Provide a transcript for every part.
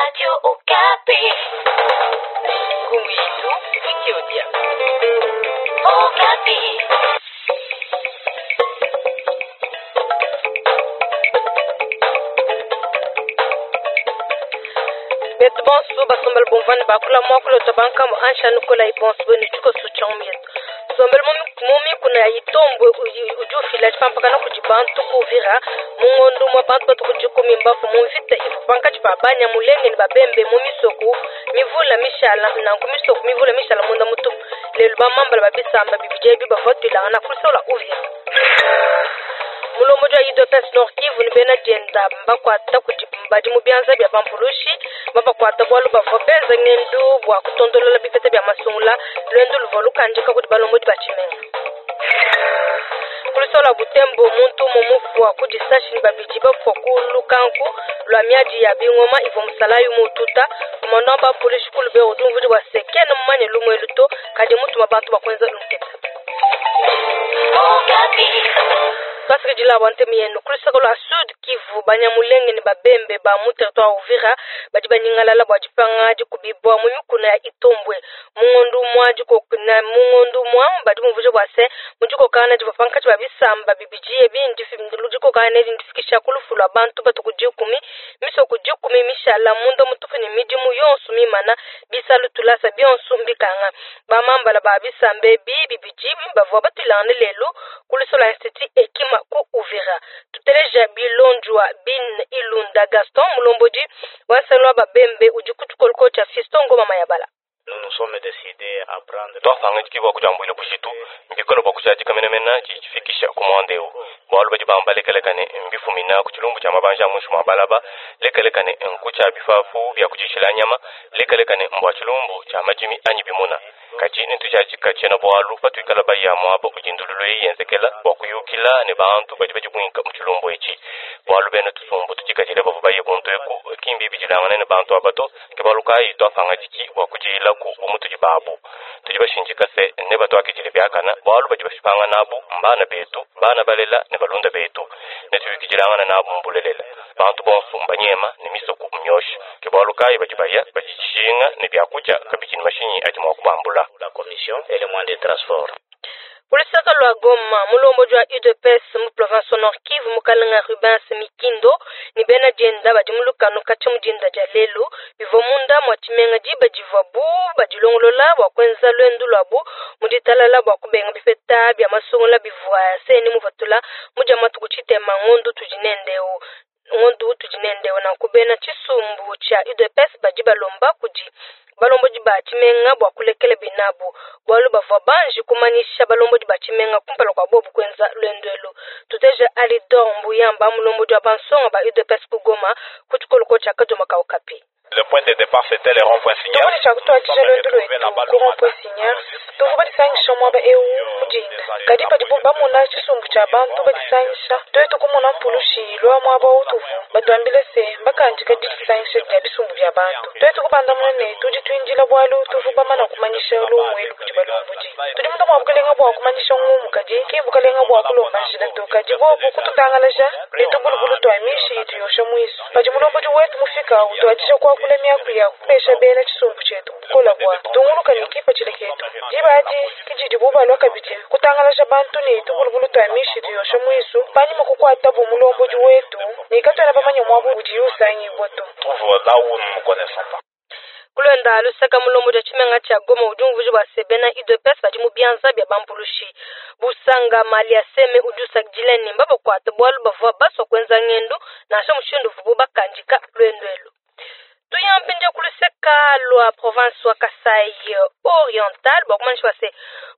Radio Okapi. Nkumu yetu Wikiodia. Okapi. Betu bonso basombela bomvane bakula muakulu otwa bankambo ansha nukola ibonso benu tshikoso tshia mietu sombela mu mikuna ya Itombwe udi ufila tshipampakana kudi bantu ku Uvira mu ngondo mwa bantu batu ku dikumi mbafu mu mvita ivu pankatshi pa Banyamulenge ne babembe mu misoku mivula mishala nanku misoku mivula mishala munda mutupu lelu bamambala babisamba bibidi ebi bavua tuilangana kulisola Uvira. Mulombodi wa UDPS Nord Kivu ne bena dienda mbakuata kudi badi mu bianza bia bampulushi babakuata bualu bavua benza ngendu bua kutondolola bipeta bia masungula luendu luvua lukandika kudi balombodi ba tshimenga. Kulisola Butembo muntu umue mufua ku disashi ne babidi bafua ku lukanku lua miadi ya bingoma ivua musalayi mututa commandant bapolisi ku Lubero udi umvudi bua se kena mumanye lumu elu to kadi mutuma bantu bakuenza lunketa. Okapi. Twasikidila bua ntemu yenu kulusaka lua Sud Kivu Banyamulenge ne babembe ba mu territoire Uvira badi banyingalala bua dipanga dikubibua mu mikuna ya Itombwe mu ngondu mwa dikokana mu ngondu mwa badi bumvuja bua se mu dikokana divua pankatshi ba bisamba bibidi ebi dikokana edi ndifikisha ku lufu lua bantu batu ku dikumi misoku dikumi mishala munda mutupu ne midimu yonso mimana bisalu tulasa bionso mbikanga bamambala ba bisamba ebi bibidi bavua batuilangane lelu kulisola institut Ekima ku Uvira. Tuteleja bilonjwa bin Ilunda Gaston mulombodi wa nsalo wa babembe udi ku tshikoloko tshia Fiston Ngoma Mayabala. Nous nous sommes décidés à prendre twafanga bua kujambuila bujitu mbikolo bua kushadika menemene tshifikisha ku muanda eu bualu badi bamba lekelekane mbifumina ku tshilumbu tshia mabanja a muinshi mua balaba lekelekane nku tshia bifafu bia kudishila nyama lekelekane mbua tshilumbu tshia madimi anyi bimuna kadi netujadika tshiena bualu patuikala baya muaba udi ndululu eyi yenzekela bua kuyukila ne bantu badi badibuinka mu tshilumbu etshi bualu bena tusumbu tudikadile bavua baye kuntu eku kimbi bidilangane ne bantu aba to ke bualu kayi twafanga diki bua kudiyilaku bu mutudi babu tudi bashinjika se ne batuakidile biakana bualu badi bashipanga nabu mbana betu bana balela ne balunda betu netuyukidilangana nabu mbulelela bantu bonso mbanyema ne misoku myosha ke bualu kayi badi baya badishinga ne biakudia kabidi ne mashinyi adi mua kubambula. La commission et les moyens de transport. Kulusaka lua Goma mulombodi wa UDPS mu province Nord Kivu mukalenga Rubens Mikindo ne bena dienda badi mu lukanu katshia mu dinda dia lelu bivua munda mua tshimenga diba divuabu badilongolola bua kuenza luendu luabu mu ditalala bua kubenga bipeta bia masungula bivua seni muvatula mu dia matuku tshitema ngondu tudi nendeu ngondu tudi nendeu nanku bena tshisumbu tshia UDPS badi balomba kudi balombodi ba tshimenga bua kulekela binabu bualu bavua banji kumanyisha balombodi ba tshimenga kumpala kua bobu kuenza luendu elu. Tuteja Alidor Mbuyamba mulombodi wa bansonga ba UDPS ku Goma ku tshikoloko tshia Kadoma Kaukapi. Le point de départ, c'était le rond-point Signal. Tuvua tshiakutwadija luendu lwetu ku rond-point Signal tuvua badisangisha muaba eu mudinda kadi padibu bamona tshisumbu tshia bantu badisangisha tuetu kumona mpulushi lwa muaba utuvu batuambile se bakandika didisangisha dia bisumbu bia bantu tuetu kubandamuna ne tudi tuindila bualu tuvu bamana kumanyisha lumu elu kudi balombodi tudi munda mua bukalenga bua kumanyisha ngumu kadi ki bukalenga bua kulomba njila to kadi bobu kututangalaja ne tubulubulu tua mishi itu yosha muisu padi mulombodi wetu mufika utuadija kuakula miaku ya kupesha bena tshisumbu tshietu bukola bua tunguluka ne kipatshila ketu diba adi kididi bubalwa kabidi kutangalaja bantu ne tubulubulu tua mishi tuyosha muisu panyima kukuatabu mulombodi wetu ne katuena bamanye muabu udi usangibwa to. Trouve là où nous ne connaissons pas. Kulonda lusaka mulombodi wa tshimenga tshia Goma udi umvuija bua se bena UDPS badi mu bianza bia bampulushi busanga mali ya seme udi usakidila ne mbabakuata bualu bavua basua kuenza ngendu nansha mushindu uvubu bakandika luendu elu. Tuyampindia kuluseka lua province wa Kasai Oriental bua kumanyisha bua se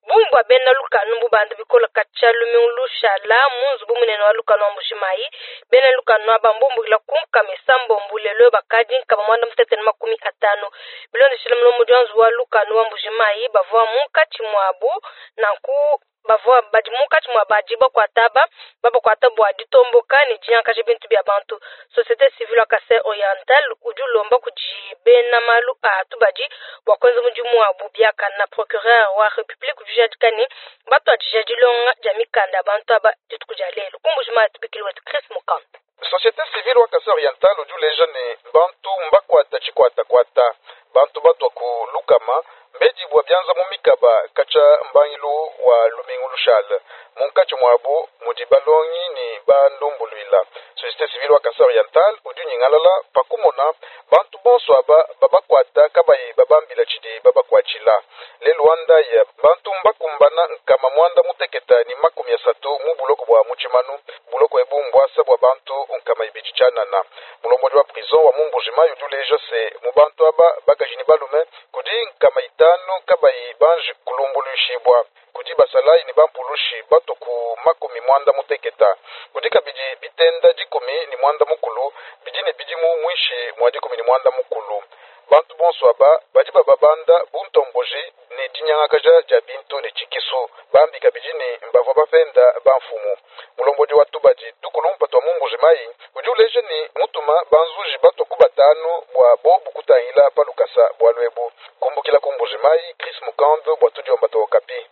bungi bua bena lukanu mbubanda bikola katshia lumingu lushala mu nzubu munene wa lukanu wa Mbujimayi bena lukanu aba mbumbukila ku nkama isambombo lelo bakadi nkama mwanda mutete ne makumi atanu bilondeshile mulombodi wa nzubu wa lukanu wa Mbujimayi bavua munkatshi muabu nanku bavua badi munkatshi mua badi bakuata aba babakuata bua ditomboka ne dinyankaja bintu bia bantu. Société civile wa Kasai Oriental udi ulomba kudi bena malu a tubadi bua kuenza mudimu wabu biakana. Procureur wa Republique udi ujadika ne batuadija dilonga dia mikanda ya bantu aba dituku dia lelu ku Mbujimayi tubikili wetu Chris Mukanda. Société civile wa Kasai Oriental udi uleja ne bantu mbakwata tshikwatakwata bantu batwa ku lukama mbedibwa byanza mu mikaba kacha mbangilu wa lumingu lushala munkatshi mwabu mudi balongi ni bandumbulwila. Société civile wa Kasai Oriental udi unyingalala pakumona bantu bonso aba babakwata kabayi babambila tshidi babakwatshila. Lelu wa ndaya bantu mbakumbana nkama mwanda muteketa ni 30 mu buloko bwa mutshimanu buloko ebu mbwasa bwa bantu nkama ibidi tshianana. Mulombodi wa prison wa Mumbujimayi udi uleja se mu bantu aba bakaji ni balume kudi nkama 5 kabayi banji kulumbuluishibwa kudi basalayi ni bampulushi bato ku 90. Kudi kabidi bitenda 19 bidi ne bidimu mwishi mwa 19. Bantu bonso aba badi bababanda buntomboji ne dinyangakaja dia bintu ne tshikisu bambi kabidi ne mbavua bapenda bamfumu. Mulombodi wa tubadi tukulumpa twa Mumbujimayi udi uleja ne mutuma banzuji bato ku 5 bua bobu kutangila palukasa bua lwebu. Kumbukila ku Mbujimayi, Chris Mukando bua tudiomba twa Okapi.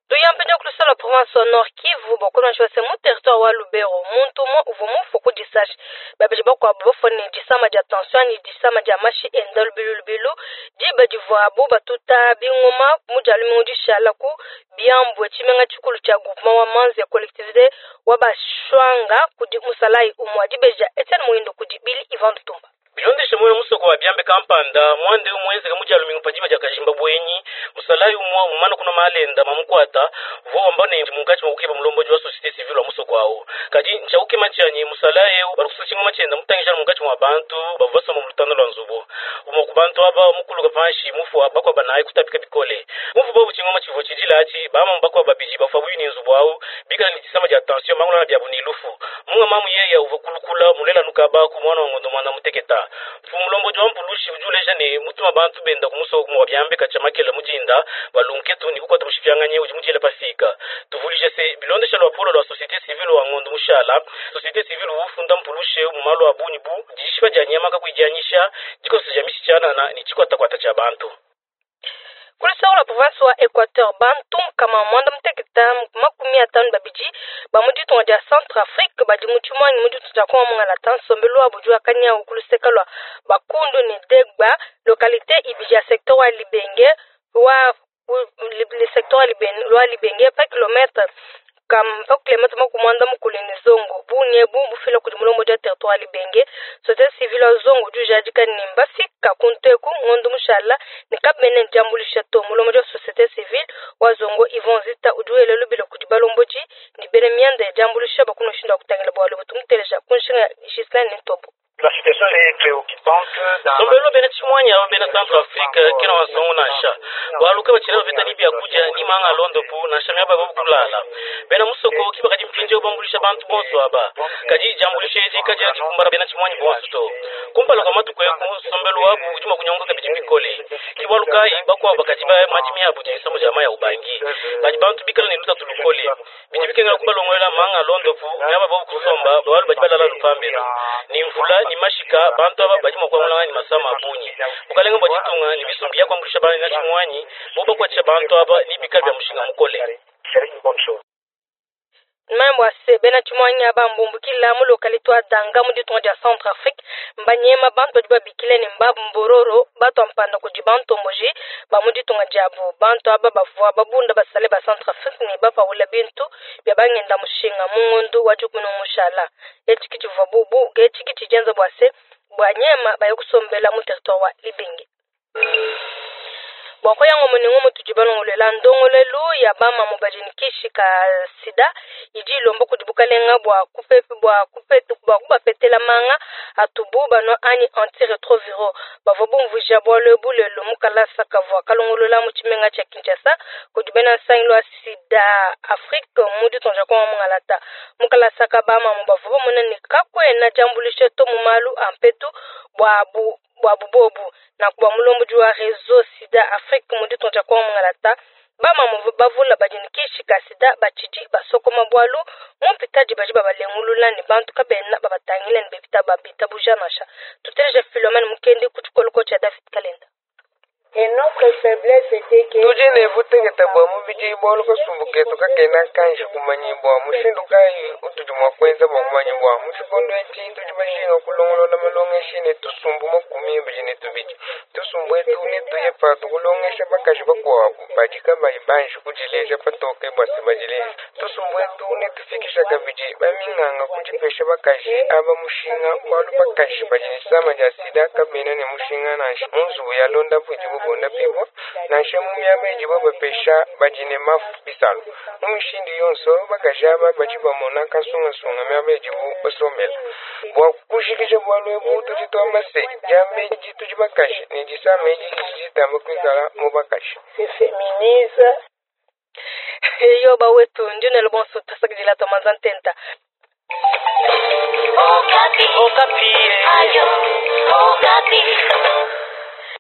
Tuyampenya kulusala province wa Nord Kivu bakolonji base mu territoire wa Lubero muntu umwe uvua mufu ku disashi babidi bakuabu bafua ne disama dia tension ni disama dia mashi enda lubilu lubilu diba divuabu batuta bingoma mu dia lumingu dishala ku Byambwe tshimenga tshikulu tshia groupement wa Manzi ya collectivité wa Bashwanga kudi musalayi umwe dibeja Etienne Muindo kudi Billy Ivan Lutumba. Bilondeshe mwena musoko wa Byambe kampanda mwande umwenzeka mu dia lumingu padiba dia kajimba bwenyi musalayi umwa umana kuno malenda mamukwata vo wambane munkachi mwakukeba mulombodi wa société civile wa musoko awo kadi nchakukema chanyi musalayi eu bali kusa chingoma chenda mutangishana munkachi mwa bantu bavua basoma mu lutanda lwa nzubu umwe ku bantu aba mukuluka panshi mufu bakwaba naye kutapika bikole mufu bobu chingoma chivo chidilachi bama bakwaba babidi bafa bwini nzubu awu bikala ni disama dia tension mangulana bya bunilufu munga mamu yeya uva kulukula mulela nukaba ku mwana wa ngondo mwana muteketa. Mfumulombo jwa mpulushi ujuleja ne mutuma bantu benda kumusoko kumwa Byambe kachamakela mujinda balunketu ni kukwata mushifyanganye uji mujele pasika tuvulije se bilondesha lwa polo lwa société civile wa ngondo mushala société civile ufunda mpulushe mu malo abunyi bu jishiba jya nyama kakwijanyisha jikoso jya mishichana ni chikwata kwata cha bantu. Kulisaula province wa Equateur bantu kama mwanda muteketa 52 ba mu ditunga dia Centrafrique badi mu tshimuangi mu ditunga dia Kongo mongala ta nsombelu wa budi wa kanyawu kuluseka lwa Bakundu ne Degba localité ibidi ya secteur wa Libenge wa le secteur wa Libenge lwa Libenge pa kilomètre kam pa kilomètre makumwanda mukulu ne zongo bunye bu bufila kudi mulombo dia territoire Libenge société civile wa zongo jujadika ne mbafika kunteku ngondo mushala ne kabene jambulisha to mulombo dia société civile wa zongo Yvon Zita uduele lubilo kudi balomboji ni bene mianda ya jambulisha bakuno shinda kutangila bwalo butumuteleja kunshinga Gislaine Ntobo. La situation est préoccupante. Sombelo bena chimwanya bena Centrafrique kena wazongo nasha. Waluka bachira beta ni byakuja ni manga londo pu nasha myaba babukulala. Bena musoko kiba kadi mpinje obambulisha bantu bonso aba. Kaji jambulisha eji kaji chikumbara bena chimwanya bonso to. Kumpala kwa matuko yako sombelo wabu ujuma kunyonga kabiji bikole. Kiwaluka ibakwa bakati ba majimi yabu jisamo jamaa ya ubangi. Baji bantu bikala ni luta tulukole. Bijibike kubalongola manga londo pu myaba babukusomba balu bajibala lupambelo. Ni mvula ni mashika bantu aba bajima kwa ni masama abunye bukalenga bwa chitunga ni bisumbi ya kwambulisha bana na chimwanyi boba kwacha bantu aba ni bikali bya mushinga mukole. Mambo ase bena chimwanyi aba mbumbukila mu localité wa Danga mu ditunga dia Centrafrique mbanyema bantu badi babikile ne mbabu mbororo bato ampanda kudi bantomboji ba mu ditunga diabu bantu aba bavua babunda basale ba Centrafrique ne bapaula bintu bya bangenda mushinga mu ngondu wa dikumi mushala etshiki tshivua bubu etshiki tshidienza bua se bua nyema baye kusombela mu territoire wa Libenge. Bwako yango muningo mutuji balongolela ndongolelu ya bama mubadinikishi ka sida idi ilomba kudi bukalenga bua kupepe bua kupetu bua kubapetela manga atubu bano ani antiretroviro bavua bumvuija bualu ebu lelo mukalasa kavua kalongolola mu tshimenga tshia Kinshasa kudi bena nsangilu wa sida Afrique mu ditunga dia Kongo mungalata mukalasa ka bamamu bavua bamona ne kakuena diambuluisha to mu malu a mpetu bua bu bua bubobu na kuba mulombodi wa réseau sida Afrique mu ditunga dia Kongo mungalata bamamu bavula badinikishi ka sida batshidi basokoma bualu mumpitadi badi babalengulula ne bantu kabena babatangile ne bebita babita buja nasha tuteleja Philomene Mukendi ku tshikoloko tshia David Kalenda. Tudi ne butekete bua mubidi bualu kasumbu ketu kakena kanji kumanyibua. Mushindu kayi utudi mua kuenza bua kumanyibua? Mu tshikondo etshi tudi bajinga kulongolola malongeshi ne tusumbu 22. Tusumbu etu netuye patu kulongesha bakaji bakuabu badi kabayi banji kudileja patoke bua se badileje. Tusumbu etu netufikisha kabidi baminganga kudipesha bakaji aba mushinga bualu bakaji badi ne disama dia sida kabena ne mushinga nansha mu nzubu ya londapu idibu bondapibua, nansha mu miaba idibu bapesha badi ne mafu bisalu. Mu mishindu yonso, bakaji aba badi bamona kansungasunga miaba idibu basombela. Bua kujikija bualu ebu, tudi tuamba se, diambedi tudi bakaji ne disama edi didi ditamba kuikala mu bakaji. Eyo bawetu, ndi nenu bonso tuasakidila tuamanza ntenta. Okapi. Okapi. Ayo, Okapi.